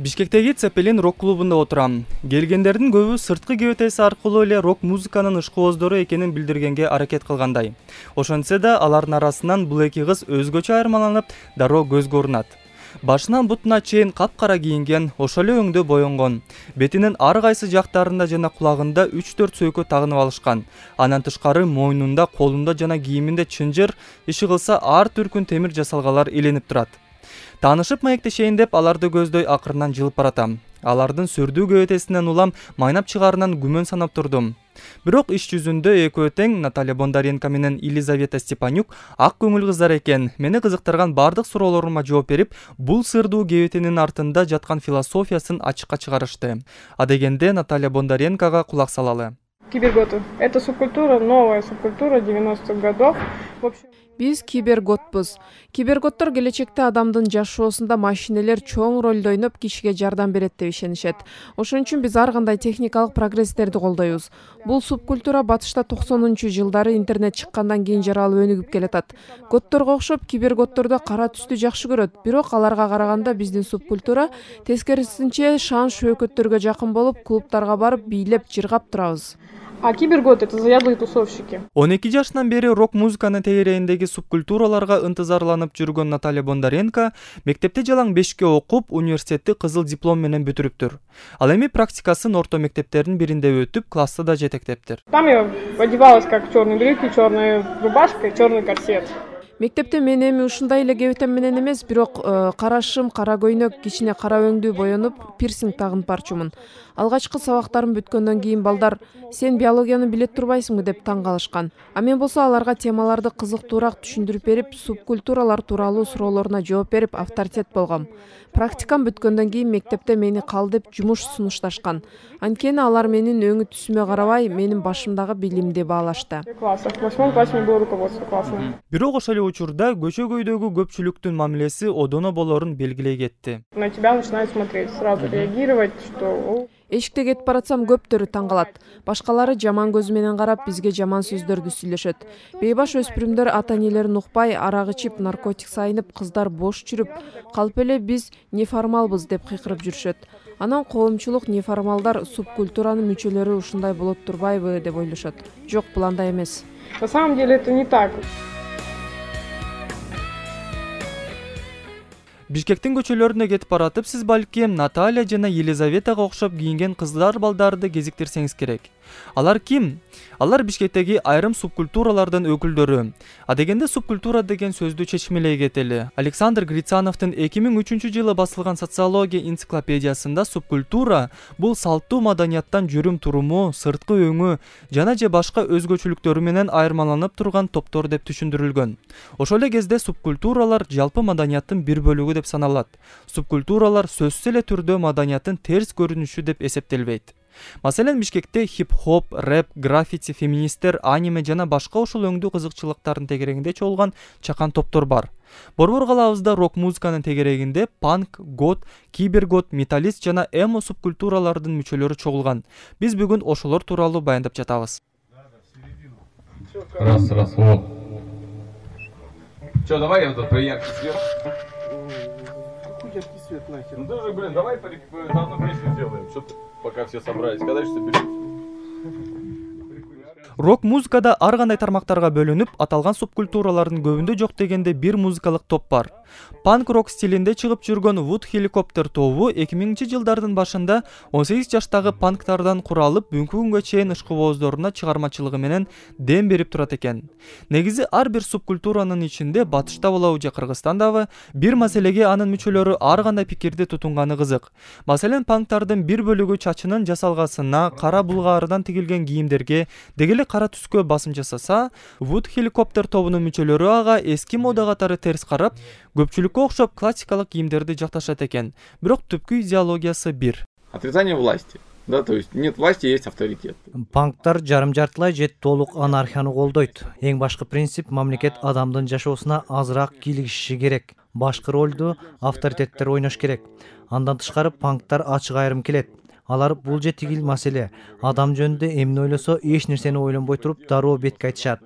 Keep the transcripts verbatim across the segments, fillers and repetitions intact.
Бишкектеги Цепелин рок клубунда отурам. Келгендердин көбү сырткы кебетеси аркылуу эле рок музыканын ышкыбоздору экенин билдиргенге аракет кылгандай. Ошентсе да алардын арасынан бул эки кыз өзгөчө айырмаланып, дароо көзгө урунат. Башынан бутуна чейин капкара кийинген, ошол эле өңдө боенгон. Бетинин ар кайсы жактарында жана кулагында үч төрт сөйкө тагынып алышкан. Андан тышкары мойнунда, колунда жана кийиминде чынжыр, иши кылса ар түркүн темир жасалгалар иленип турат. Таанышып маектешейин деп аларды көздөй акырынан жылып баратам. Алардын сүрдүү кебетесинен улам майнап чыгарынан күмөн санап турдум. Бирок иш жүзүндө экөө тең Наталья Бондаренко менен Елизавета Степанюк ак көңүл кыздар экен. Мени кызыктырган бардык суроолорума жооп берип, бул сырдуу кебетенин артында жаткан философиясын ачыкка чыгарышты. А дегенде Наталья Бондаренкога кулак салалы. Киберготы. Это субкультура, новая субкультура девяностых годов. В общем... Биз киберготпуз. Киберготтор келечекте адамдын жашоосунда машинелер чоң ролду ойноп кишиге жардам берет деп ишенишет. Ошон үчүн биз ар кандай техникалык прогресстерди колдойбуз. Бул субкультура батышта токсонунчу жылдары интернет чыккандан кийин жаралып өнүгүп келатат. Готторго окшоп киберготторду кара түстү жакшы көрөт, бирок аларга караганда биздин субкультура тескерисинче шан шөөкөттөргө жакын болуп, клубтарга барып бийлеп, жыргап турабыз. А киберготы — это заядлые тусовщики. он эки жашынан бери рок-музыканын тегерегиндеги субкультураларга ынтызарланып жүргөн Наталья Бондаренко мектепте жалаң бешке окуп, университетти кызыл диплом менен бүтүрүптүр. Ал эми практикасын орто мектептердин биринде өтүп, класста да жетектептир. Там я одевалась как черные брюки, черная рубашка и черный корсет. Мектепте мен эми ушундай эле кебетем менен эмес, бирок кара шым, кара көйнөк, кичине кара өңдүү боенуп, пирсинг тагынып барчумун. Алгачкы сабактарым бүткөндөн кийин балдар "Сен биологияны билет турбайсыңбы?" деп таң калышкан. А мен болсо аларга темаларды кызыктуураак түшүндүрүп берип, субкультуралар тууралуу суроолоруна жооп берип, авторитет болгом. Практикам бүткөндөн кийин мектепте мени кал деп жумуш сунушташкан. Анткени алар менин өңү түсүмө карабай, менин башымдагы билимди баалашты. В восьмом классе не было руководства класса. Бирок ошол эле учурда көчөгөйдөгү көпчүлүктүн мамилеси одоно болорун белгилей кетти. На тебя начинают смотреть, сразу реагировать, что... Эшикте кетип баратсам көптөрү таң калат. Башкалары жаман көзү менен карап, бизге жаман сөздөрдү сүйлөшөт. Бейбаш өспүрүмдөр ата-энелерин укпай, арак ичип, наркотик сайынып, кыздар бош жүрүп, калп эле биз неформалбыз деп кыйкырып жүрүшөт. Анан коомчулук неформалдар субкультуранын мүчөлөрү ушундай болот турбайбы деп ойлошот. Жок, бул андай эмес. На самом деле это не так. Бишкектин көчөлөрүнө кетип баратып, сиз балким Наталья жана Елизаветага окшоп кийинген кыздар балдарды кезиктирсеңиз керек. Алар ким? Алар Бишкектеги айрым субкультуралардын өкүлдөрү. А дегенде субкультура деген сөздү чечмелей кетели. Александр Грицановдун эки миң үчүнчү жылы басылган социология энциклопедиясында субкультура бул салттуу маданияттан жүрүм туруму, сырткы өңү жана же башка өзгөчөлүктөрү менен айырмаланып турган топтор деп түшүндүрүлгөн. Ошол эле кезде субкультуралар жалпы маданияттын бир бөлүгү деп саналат. Субкультуралар сөзсүз эле түрдө маданияттын терс көрүнүшү деп эсептелбейт. Маселен, Бишкекте хип-хоп, рэп, граффити, феминисттер, аниме жана башка ошол өңдүү кызыкчылыктардын тегерегинде чогулган чакан топтор бар. Борбор калабызда рок-музыканын тегерегинде панк, гот, кибергот, металлист жана эмо субкультуралардын мүчөлөрү чогулган. Биз бүгүн ошолор тууралуу баяндап жатабыз. Раз, раз, вот. Чё, давай я вот поярче свет. Какой яркий свет нахер? Ну даже, блин, давай заодно песню сделаем. Что ты, пока все собрались, когда же соберемся? Рок-музыкада ар кандай тармактарга бөлүнүп, аталган субкультуралардын көбүндө жок дегенде бир музыкалык топ бар. Панк-рок стилинде чыгып жүргөн Wood Helicopter тобу эки миңинчи жылдардын башында он сегиз жаштагы панктардан куралып, бүгүнкү күнгө чейин ышкыбоздоруна чыгармачылыгы менен дем берип турат экен. Негизи ар бир субкультуранын ичинде батышта болобу же Кыргызстандабы бир маселеге анын мүчөлөрү ар кандай пикирди тутунганы кызык. Маселен, панктардын бир бөлүгү чачынын жасалгасына, кара булгаардан тигилген кийимдерге, дегеле кара түскө басым жасаса, Wood Helicopter тобунун мүчөлөрү ага эски мода катары терс карап, көпчүлүккө окшоп классикалык кийимдерди жакташат экен. Бирок түпкү идеологиясы бир. Отрицание власти. Да, то есть нет власти, есть авторитет. Панктар жарым-жартылай же толук анархияны колдойт. Эң башкы принцип — мамлекет адамдын жашоосуна азыраак кийлигиши керек. Башкы ролду авторитеттер ойнош керек. Андан тышкары панктар ачык айрым келет. Алар бул же тигил маселе. Адам жөнүндө эмне ойлосо, эч нерсени ойлонбой туруп дароо бетке айтышат.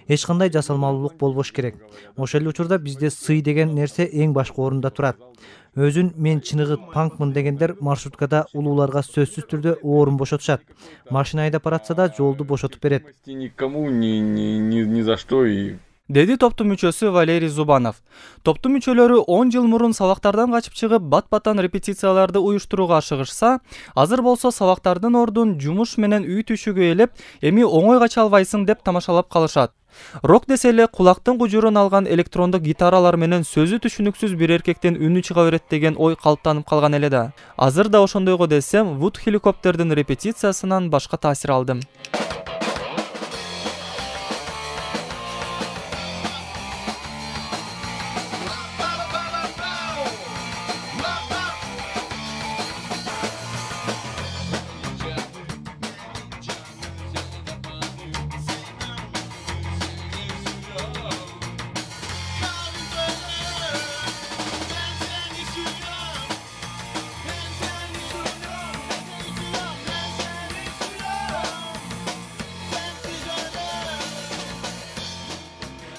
эч кандай жасалмалуулук болбош керек. Ошол эле учурда бизде сый деген нерсе эң башкы орунда турат. Өзүн мен чыныгы панкмын дегендер маршруткада улууларга сөзсүз түрдө орун бошотушат. Машина айдап баратса да жолду бошотуп берет. Никому ни ни ни ни за что и деди топтун мүчөсү Валерий Зубанов. Топтун мүчөлөрү он жыл мурун сабактардан качып чыгып, бат-баттан репетицияларды уюштурууга ашыгышса, азыр болсо сабактардын ордун жумуш менен үй түшүгө элеп, эми оңой кача албайсың деп тамашалап калышат. Рок десе эле кулактын кужурун алган электрондук гитаралар менен сөзү түшүнүксүз бир эркектен үнү чыга берет деген ой калыптанып калган эле да. Азыр да ошондойго десем, Wood Helicopter'дин репетициясынан башка таасир алдым.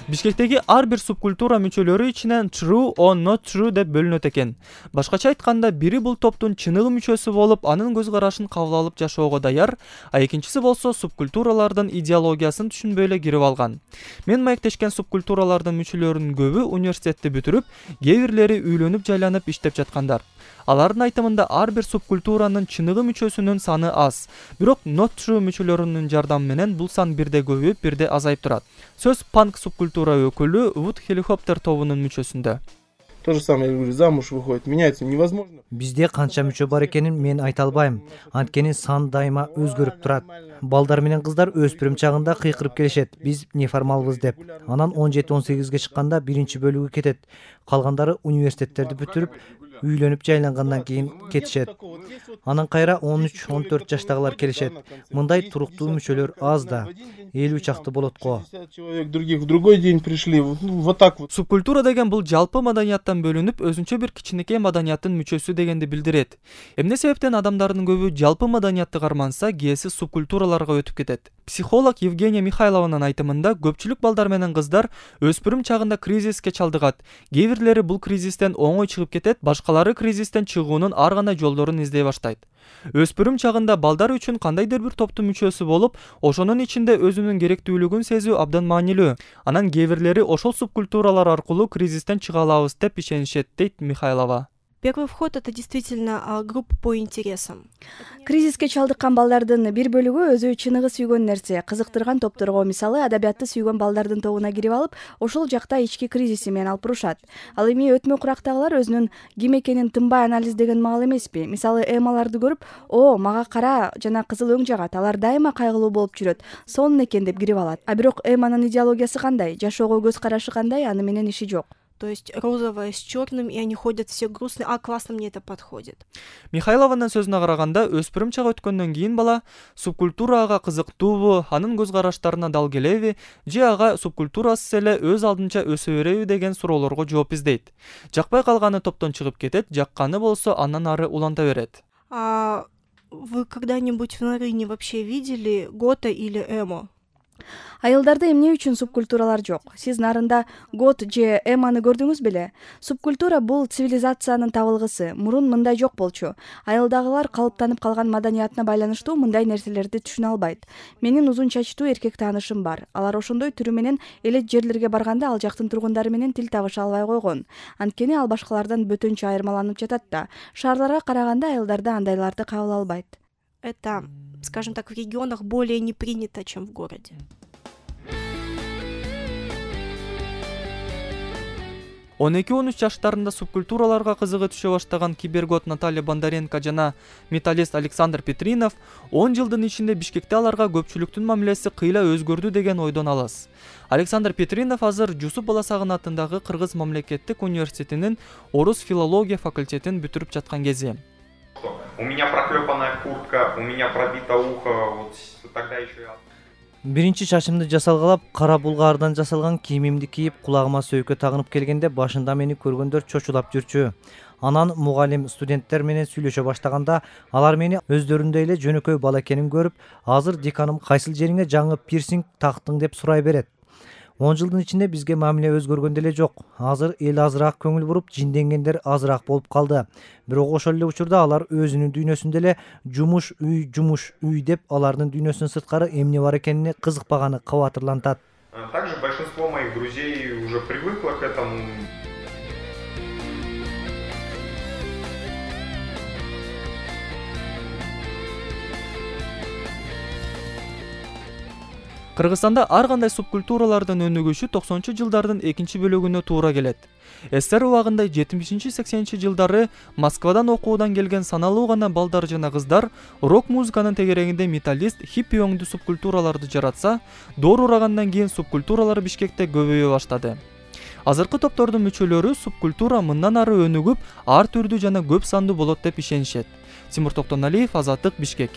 Бишкектеги ар бир субкультура мүчөлөрү ичинен true or not true деп бөлүнөт экен. Башкача айтканда, бири бул топтун чыныгы мүчөсү болуп, анын көз карашын кабыл алып жашоого даяр, а экинчиси болсо субкультуралардын идеологиясын түшүнбөй эле кирип алган. Мен маектешкен субкультуралардын мүчөлөрүнүн көбү университетти бүтүрүп, кээ бирлери үйлөнүп жайланып иштеп жаткандар. Алардын айтымында ар бир субкультуранын чыныгы мүчөсүнүн саны аз. Бирок not true мүчөлөрүнүн жардамы менен бул сан бирде көбөйүп, бирде азайып турат. Сөз панк субкультура өкүлү Wood Helicopter тобунун мүчөсүндө. То же самое, я говорю, замуж выходит, меняется невозможно. Бизде канча мүчө бар экенин мен айта албайм. Анткени сан дайыма өзгөрүп турат. Балдар менен кыздар өспүрүм чагында кыйкырып келишет. Биз неформалбыз деп. Анан он жети он сегизге чыкканда биринчи бөлүгү кетет. Калгандары университеттерди бүтүрүп, үйлөнүп жайлангандан кийин кетишет. Анан кайра он үч он төрт жаштагылар келишет. Мындай туруктуу мүчөлөр аз да. элүү чакты болот го. Человек других в другой день пришли. Вот так вот. Субкультура деген бул жалпы маданияттан бөлүнүп, өзүнчө бир кичинекей маданияттын мүчөсү дегенди билдирет. Эмне себептен адамдардын көбү жалпы маданиятты карманса, кээси субкультураларга өтүп кетет. Психолог Евгения Михайлованын айтымында, көпчүлүк балдар менен кыздар өспүрүм чагында кризиске чалдыгат. Кээ бирлери бул кризистен оңой чыгып кетет, башкалары кризистен чыгуунун ар кандай жолдорун издей баштайт. Өспүрүм чагында балдар үчүн кандайдыр бир топтун мүчөсү болуп, ошонун ичинде өзүнүн керектүүлүгүн сезүү абдан маанилүү. Анан кээ бирлери ошол субкультуралар аркылуу кризистен чыга алабыз деп ишенишет, дейт Михайлова. Первый вход — это действительно группа по интересам. Кризиске чалдыккан балдардын бир бөлүгү өзү чыныгы сүйгөн нерсе, кызыктырган топторго, мисалы, адабиятты сүйгөн балдардын тобуна кирип алып, ошол жакта ички кризиси менен алып бурушат. Ал эми өтмө курактагылар өзүнүн ким экенин тынбай анализдеген маал эмеспи? Мисалы, эмаларды көрүп, "О, мага кара жана кызыл өң жагат, алар дайыма кайгылуу болуп жүрөт, сонун экен" деп кирип алат. А бирок эманын идеологиясы кандай, жашоого көз карашы кандай, аны менен иши жок. То есть розовое с черным, и они ходят все грустные. А, классно, мне это подходит. Михайлованын сөзүнө караганда, өспүрүм чак өткөндөн кийин бала субкультурага кызыктуубу, анын көз караштарына дал келеби, же ага субкультурасыз эле өз алдынча өсө береби деген суроолорго жооп издейт. Жакпай калганы топтон чыгып кетет, жакканы болсо андан ары уланта берет. А вы когда-нибудь в Нарыне вообще видели гота или эмо? Айылдарда эмне үчүн субкультуралар жок? Сиз нарында гот же эманы көрдүңүз беле? Субкультура бул цивилизациянын табылгысы. Мурун мындай жок болчу. Айылдагылар калыптанып калган маданиятына байланыштуу мындай нерселерди түшүнө албайт. Менин узун чачтуу эркек таанышым бар. Алар ошондой түрү менен элет жерлерге барганда ал жактын тургундары менен тил табыша албай койгон. Анткени ал башкалардан бөтөнчө айырмаланып жатат да. Шаарларга караганда айылдарда андайларды кабыл албайт. Это, скажем так, в регионах более не принято, чем в городе. он эки он үч жаштарында субкультураларга кызыгы түшө баштаган кибергот Наталья Бондаренко жана металлист Александр Петринов он жылдын ичинде Бишкекте аларга көпчүлүктүн мамилеси кыйла өзгөрдү деген ойдон алыс. Александр Петринов азыр Жусуп Баласагын атындагы Кыргыз мамлекеттик университетинин орус филология факультетин бүтүрүп жаткан кези. У меня проклепанная куртка, у меня пробито ухо, вот тогда еще я... Биринчи чачымды жасалгалап, кара булгардан жасалган кийимимди кийип, кулагыма сөйкө тагынып келгенде башында мени көргөндөр чочулап жүрчү. Анан мугалим студенттер менен сүйлөшө баштаганда, алар мени өздөрүндөй эле жөнөкөй бала экенин көрүп, азыр деканым кайсыл жериңе жаңы пирсинг тактың деп сурай берет. он жылдын ичинде бизге мамиле өзгөргөн деле жок. Азыр эл азыраак көңүл буруп, жинденгендер азыраак болуп калды. Бирок ошол эле учурда алар өзүнүн дүйнөсүндө эле жумуш үй, жумуш үй деп алардын дүйнөсүнөн сырткары эмне бар экенине кызыкпаганы кабатырлантат. Также большинство моих друзей уже привыкло к этому. Кыргызстанда ар кандай субкультуралардын өнүгүшү токсонунчу жылдардын экинчи бөлүгүнө туура келет. СССР убагында жетимишинчи сексенинчи жылдары Москвадан окуудан келген саналуу гана балдар жана кыздар рок музыканын тегерегинде металлист, хиппи өңдүү субкультураларды жаратса, доор урагандан кийин субкультуралар Бишкекте көбөйө баштады. Азыркы топтордун мүчөлөрү субкультура мындан ары өнүгүп, ар түрдүү жана көп сандуу болот деп ишенишет. Тимур Токтоналиев, Азаттык, Бишкек.